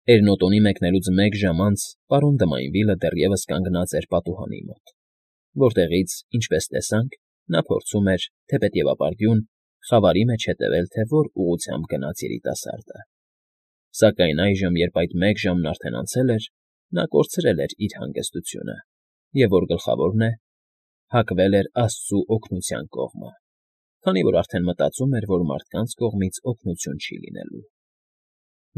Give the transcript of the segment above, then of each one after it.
Էրնոտոնի մեկնելուց մեկ ժամ անց պարոն Դմայնվիլը դեռևս կանգնած էր պատուհանի մոտ, որտեղից, ինչպես տեսանք, նա փորձում էր, թեպետև ապարդյուն, խավարի մեջ հետևել, թե որ ուղղությամբ գնաց երիտասարդը։ Սակայն այժմ, երբ այդ մեկ ժամն արդեն անցել էր, նա կորցրել էր իր հանգստությունը և, որ գլխավորն է, հակվել էր աստծու օգնության կողմը, քանի որ արդեն մտածում էր, որ մարդկանց կողմից օգնություն չի լինելու։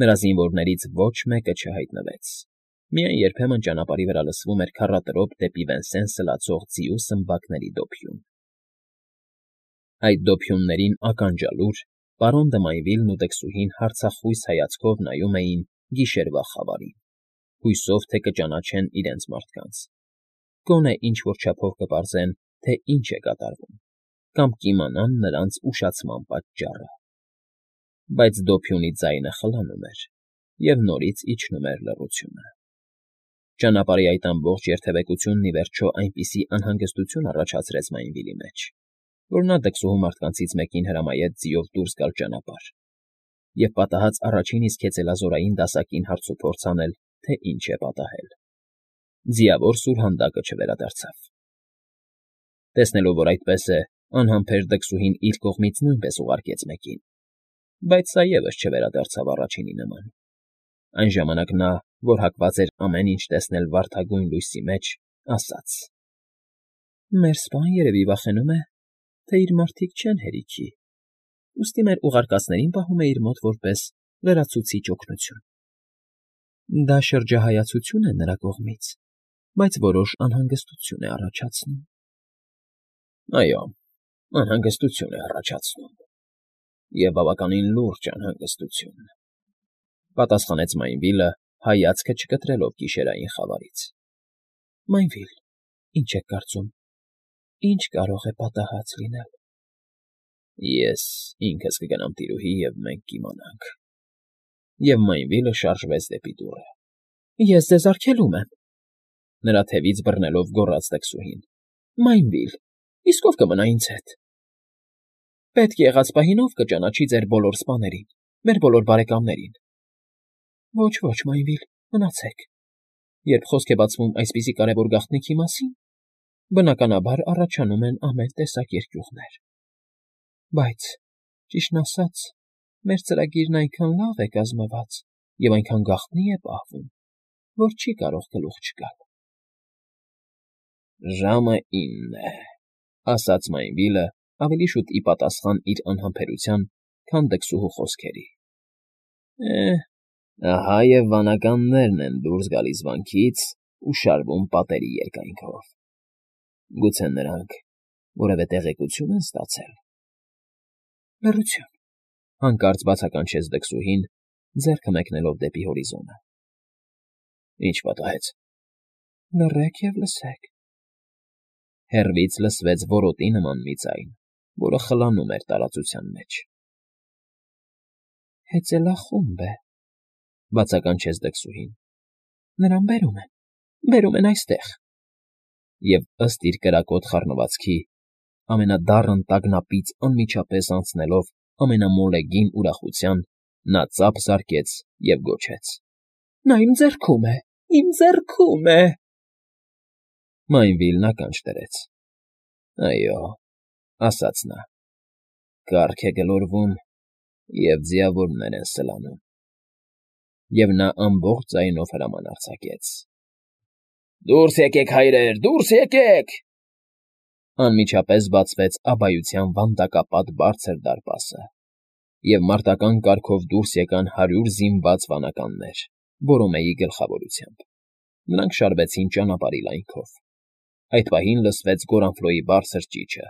Նրա զինվորներից ոչ մեկը չհայտնվեց։ Միայն երբեմն ճանապարհի վրա լսվում էր քառատրոփ դեպի Վենսեն սլացող ձիու սմբակների դոփյուն։ Այդ դոփյուններին ականջալուր պարոն Դմայնվիլն ու դքսուհին հարցախույս հայացքով նայում էին գիշերվա խավարին, հույսով, թե կճանաչեն իրենց մարդկանց, գոնե ինչ֊որ չափով կպարզեն, թե ինչ է կատարվում, կամ կիմանան նրանց ուշացման պատճառը։ Բայց դոփյունի ձայնը խլանում էր, և նորից իջնում էր լռությունը։ Ճանապարհի այդ ամբողջ երթևեկությունն ի վերջո այնպիսի անհանգստություն առաջացրեց Մայնվիլի մեջ, որ նա դքսուհու մարդկանցից մեկին հրամայեց ձիով դուրս գալ ճանապարհ և պատահած առաջին իսկ հեծելազորային դասակին հարցուփորձ անել, թե ինչ է պատահել։ Ձիավոր սուրհանդակը չվերադարձավ։ Տեսնելով, որ այդպես է, անհամբեր դքսուհին իր կողմից նույնպես ուղարկեց մեկին, բայց սա ևս չվերադարձավ առաջինի նման։ Այն ժամանակ նա, որ հակված էր ամեն ինչ տեսնել վարդագույն լույսի մեջ, ասաց. «Մեր սպան երևի վախենում է, թե իր մարդիկ չեն հերիքի, ուստի մեր ուղարկածներին պահում է իր մոտ որպես լրացուցիչ օգնություն։ Դա շրջահայացություն է նրա կողմից, բայց որոշ անհանգստություն է առաջացնում»։ Այո, անհանգստություն է առաջացնում, և բավականին լուրջ անհանգստություն, պատասխանեց Մայնվիլը, հայացքը չկտրելով գիշերային խավարից։ Մայնվիլ, ինչ եք կարծում, ինչ կարող է պատահած լինել։ Ես ինքս կգնամ տիրուհի, և մենք կիմանանք։ Եվ Մայնվիլը շարժվեց դեպի դուռը։ Ես ձեզ արգելում եմ,֊ նրա թևից բռնելով գոռաց դքսուհին։ Մայնվիլ, իսկ ով կմնա ինձ հետ։ Պետք եղած պահին ով կճանաչի ձեր բոլոր սպաներին, մեր բոլոր բարեկամներին։ Ոչ, Մայնվիլ, մնացեք։ Երբ խոսք է բացվում այսպիսի կարևոր գաղտնիքի մասին, բնականաբար առաջանում են ամեն տեսակ երկյուղներ։ Բայց, ճիշտն ասած, մեր ծրագիրն այնքան լավ է կազմված և այնքան գաղտնի է պահվում, որ չի կարող գլուխ չգալ։ Ժամը 9 է,֊ ասաց Մայնվիլը ավելի շուտ ի պատասխան իր անհամբերության, քան դքսուհու խոսքերի։ Ահա և վանականներն են դուրս գալիս վանքից ու շարվում պատերի երկայնքով։ Գուցե նրանք որևէ տեղեկություն են ստացել։ Լռություն,֊ հանկարծ բացականչեց դքսուհին, ձեռքը մեկնելով դեպի հորիզոնը։ Ինչ պատահեց։ Լռեք և լսեք։ Հեռվից լսվեց որոտի նման մի ձայն, որը խլանում էր տարածության մեջ։ Հեծելախումբ է,֊ բացականչեց դքսուհին։ Նրան բերում են այստեղ։ Եվ ըստ իր կրակոտ խառնվածքի, ամենադառն տագնապից անմիջապես անցնելով ամենամոլեգին ուրախության, նա ծափ զարկեց և գոչեց. Նա իմ ձեռքում է, իմ ձեռքում է… Մայնվիլն ականջ դրեց։ Այո, ասաց նա, կառք է գլորվում, և ձիավորներ են սլանում։ Եվ նա ամբողջ ձայնով հրաման արձակեց. Դուրս եկեք, հայրեր, դուրս եկեք… Անմիջապես բացվեց աբայության վանդակապատ բարձր դարպասը, և մարտական կարգով դուրս եկան 100 զինված վանականներ, Բորոմեի գլխավորությամբ։ Նրանք շարվեցին ճանապարհի լայնքով։ Այդ պահին լսվեց Գորանֆլոյի բարձր ճիչը.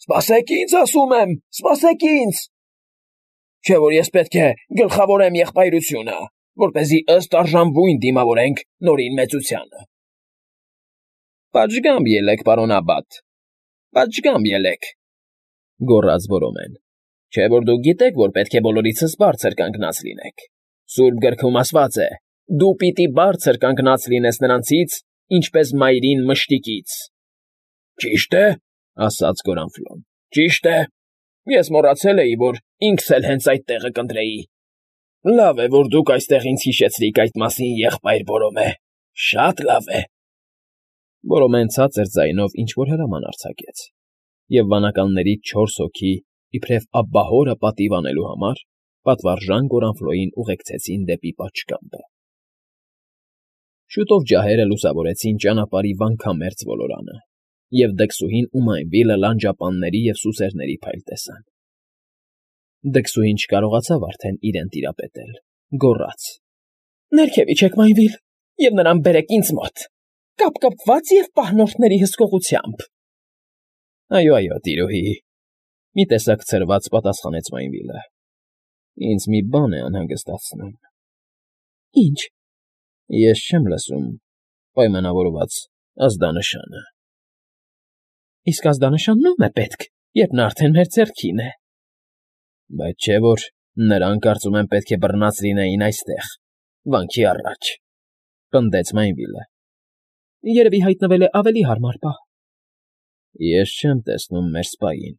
Սպասեք ինձ, ասում եմ, սպասեք ինձ… Չէ՞ որ ես պետք է գլխավորեմ եղբայրությունը, որպեսզի ըստ արժանվույն դիմավորենք Նորին մեծությանը։ Պատշգամբ ելեք, պարոն Աբբատ, պատշգամբ ելեք,֊ գոռաց Բորոմեն։ Չէ՞ որ դուք գիտեք, որ պետք է բոլորիցս բարձր կանգնած լինեք։ Սուրբ գրքում ասված է. դու պիտի բարձր կանգնած լինես նրանցից, ինչպես մայրին մշտիկից։ Ճիշտ է,֊ ասաց Գորանֆլոն, ճիշտ է։ Ես մոռացել էի, որ ինքս էլ հենց այդ տեղը կընտրեի։ Լավ է, որ դուք այստեղ ինձ հիշեցրիք այդ մասին, եղբայր Բորոմե, շատ լավ է։ Բորոմեն ցածր ձայնով ինչ֊որ հրաման արձակեց, և վանականներից 4 հոգի, իբրև ապահորը պատիվ անելու համար, պատվարժան Գորանֆլոյին ուղեկցեցին դեպի պատշգամբը։ Շուտով ջահերը լուսավորեցին ճանապարհի վանքամերձ ոլորանը, և դքսուհին ու Մայնվիլը լանջապանների և սուսերների փայլ տեսան։ Դքսուհին չկարողացավ արդեն իրեն տիրապետել, գոռաց. Ներքև իջեք, Մայնվիլ, և նրան բերեք ինձ մոտ, կապկապված և պահնորդների հսկողությամբ։ Այո, տիրուհի, մի տեսակ ցրված պատասխանեց Մայնվիլը։ Ինձ մի բան է անհանգստացնում։ Ինչ։ Ես չեմ լսում պայմանավորված ազդանշանը։ Իսկ ազդանշանն ո՞ւմ է պետք, երբ նա արդեն մեր ձեռքին է։ Բայց չէ՞ որ նրանք, կարծում եմ, պետք է բռնած լինեին այստեղ, վանքի առաջ, պնդեց Մայնվիլը։ Երևի հայտնվել է ավելի հարմար պահ։ Ես չեմ տեսնում մեր սպային։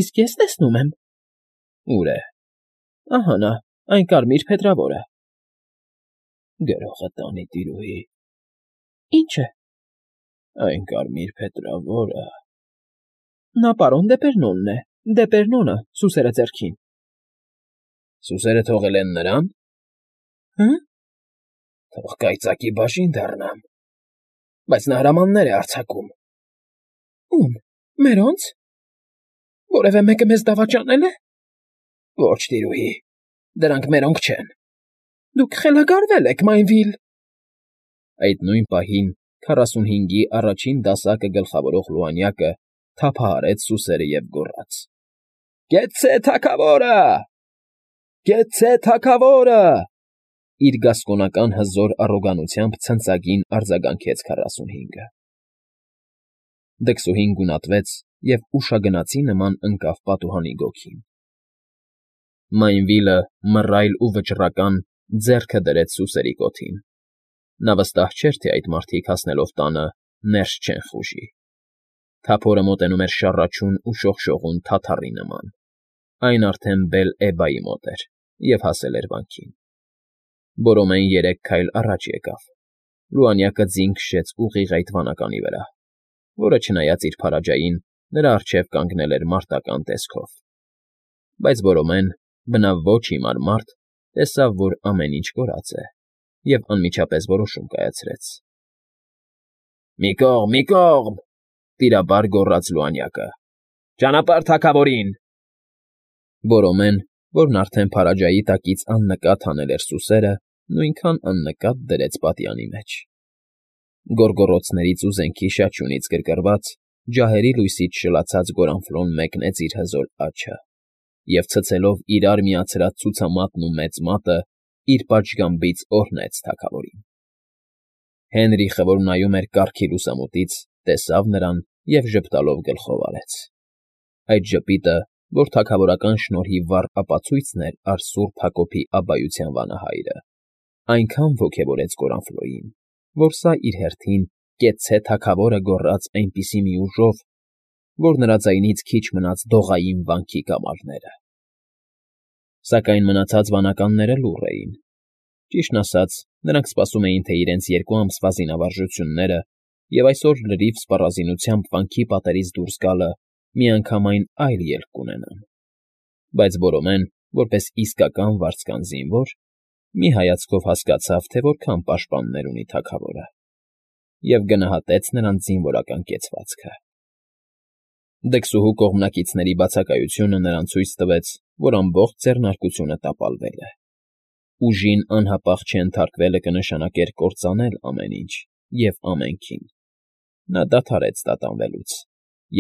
Իսկ ես տեսնում եմ։ Ո՞ւր է։ Ահա նա, այն կարմիր փետրավորը։ Գրողը տանի, տիրուհի։ Ինչ է։ Այն կարմիր փետրավորը։ Նա պարոն Դեպերնոնն է, Դեպերնոնը, սուսերը ձեռքին։ Սուսերը թողել են նրան։ Հը՞։ Թող կայծակի բաժին դառնամ։ Բայց նա հրամաններ է արձակում։ Ո՞ւմ։ Մերոնց։ Որևէ մեկը մեզ դավաճանել է։ Ոչ, տիրուհի, դրանք մերոնք չեն։ Դուք խելագարվել եք, Մայնվիլ։ Այդ նույն պահին 45-ի առաջին դասակը գլխավորող Լուանյակը թափահարեց սուսերը և գոռաց. Գեցե թագավորը։ Գեցե թագավորը։ Իր գասկոնական հզոր առոգանությամբ ցնծագին արձագանքեց 45-ը։ Դքսուհին գունատվեց և ուշագնացի նման ընկավ պատուհանի գոգին։ Մայնվիլը, մռայլ ու վճռական, ձեռքը դրեց սուսերի կոթին։ Նա վստահ չէր, թե այդ մարդիկ հասնելով տանը ներս չեն խուժի։ Թափորը մոտենում էր շառաչուն ու շողշողուն թաթառի նման։ Այն արդեն Բել֊Էբայի մոտ էր և հասել էր վանքին։ Բորոմեն 3 քայլ առաջ եկավ։ Լուանյակը ձին քշեց ուղիղ այդ վանականի վրա, որը, չնայած իր փարաջային, նրա առջև կանգնել էր մարտական տեսքով։ Բայց Բորոմեն, բնավ ոչ հիմար մարդ, տեսավ, որ ամեն ինչ կորած է, և անմիջապես որոշում կայացրեց։ Մի կողմ, տիրաբար գոռաց Լուանյակը։ Ճանապարհ թագավորին։ Բորոմեն, որն արդեն փարաջայի տակից աննկատ հանել էր սուսերը, նույնքան աննկատ դրեց պատյանի մեջ։ Գոռգոռոցներից ու զենքի շաչյունից գրգռված, ջահերի լույսից շլացած Գորանֆլոն մեկնեց իր հզոր աջը և, ցցելով իրար միացրած ցուցամատն ու մեծ մատը, իր պատշգամբից օրհնեց թագավորին։ Հենրիխը, որ նայում էր կառքի լուսամուտից, տեսավ նրան և ժպտալով գլխով արեց։ Այդ ժպիտը, որ թագավորական շնորհի վառ ապացույցն էր առ Սուրբ Հակոբի աբբայության վանահայրը, այնքան ոգևորեց Գորանֆլոյին, որ սա իր հերթին «Կեցցե թագավորը» գոռաց այնպիսի մի ուժով, որ նրա ձայնից քիչ մնաց դողային վանքի կամարները։ Սակայն մնացած վանականները լուռ էին։ Ճիշտն ասած, նրանք սպասում էին, թե իրենց 2 ամսվա զինավարժությունները և այսօր լրիվ սպառազինությամբ վանքի պատերից դուրս գալը միանգամայն այլ ելք կունենան։ Բայց Բորոմեն, որպես իսկական վարձկան զինվոր, մի հայացքով հասկացավ, թե որքան պաշտպաններ ունի թագավորը, և գնահատեց նրանց զինվորական կեցվածքը։ Դքսուհու կողմնակիցների բացակայությունը նրան ցույց տվեց, որ ամբողջ ձեռնարկությունը տապալվել է։ Ուժին անհապաղ չենթարկվելը կնշանակեր կործանել ամեն ինչ և ամենքին։ Նա դադարեց տատանվելուց,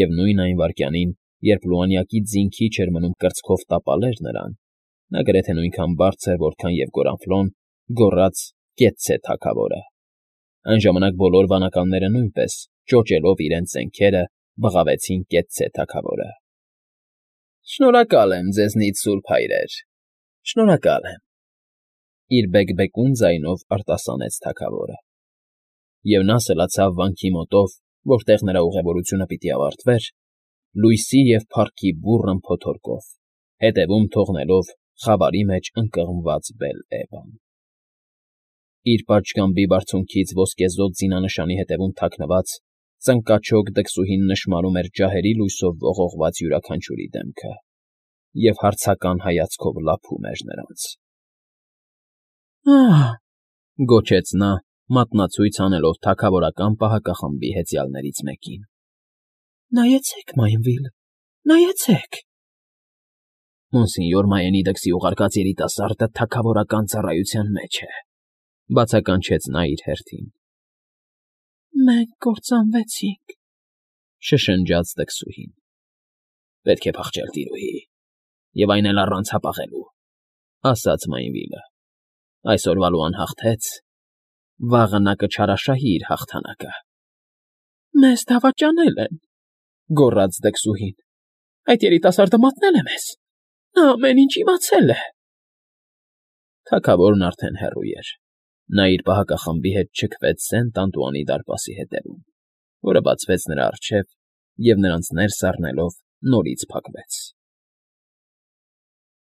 և նույն այն վայրկյանին, երբ Լուանյակի ձին քիչ էր մնում կրծքով տապալեր նրան, նա գրեթե նույնքան բարձր, որքան և Գորանֆլոն, գոռաց. «Կեցցե թագավորը»։ Այն ժամանակ բոլոր վանականները նույնպես, ճոճելով իրենց զենքերը, բղավեցին «Կեցցե թագավորը»։ Շնորհակալ եմ ձեզնից, սուրբ հայրեր, շնորհակալ եմ, իր բեկբեկուն ձայնով արտասանեց թագավորը։ Եվ նա սլացավ վանքի մոտով, որտեղ նրա ուղևորությունը պիտի ավարտվեր, լույսի և փառքի բուռն փոթորկով, հետևում թողնելով Խավարի մեջ ընկղմված Բել֊Էվան։ Իր պատշգամբի բարձունքից ոսկեզօծ զինանշանի հետևում թաքնված ծնկաչոք դքսուհին նշմարում էր ջահերի լույսով ողողված յուրաքանչյուրի դեմքը և հարցական հայացքով լափում էր նրանց։ «Ահ…» գոչեց նա, մատնացույց անելով թագավորական պահակախմբի հեծյալներից մեկին։ «Նայեցեք, Մայնվիլ, նայեցեք»։ Մոնսենյոր Մայենիդեքսի ուղարկած երիտասարդը թագավորական ծառայության մեջ է,֊ բացականչեց նա իր հերթին։ «Մենք կործանվեցինք,֊ շշնջաց դքսուհին։ «Պետք է փախչել, տիրուհի, և այն էլ առանց հապաղելու,֊ ասաց Մայնվիլը։ Այսօրվալու անհաղթեց, վաղը նա կչարաշահի իր հաղթանակը»։ «Մեզ դավաճանել են,֊ գոռաց դքսուհին։ «Այդ երիտասարդը մատնել է մեզ… Նա ամեն ինչ իմացել է»։ Թագավորն արդեն հեռու էր։ Նա իր պահակախմբի հետ չքվեց Սենտ Անտուանի դարպասի հետևում, որը բացվեց նրա առջև և նրանց ներս առնելով նորից փակվեց։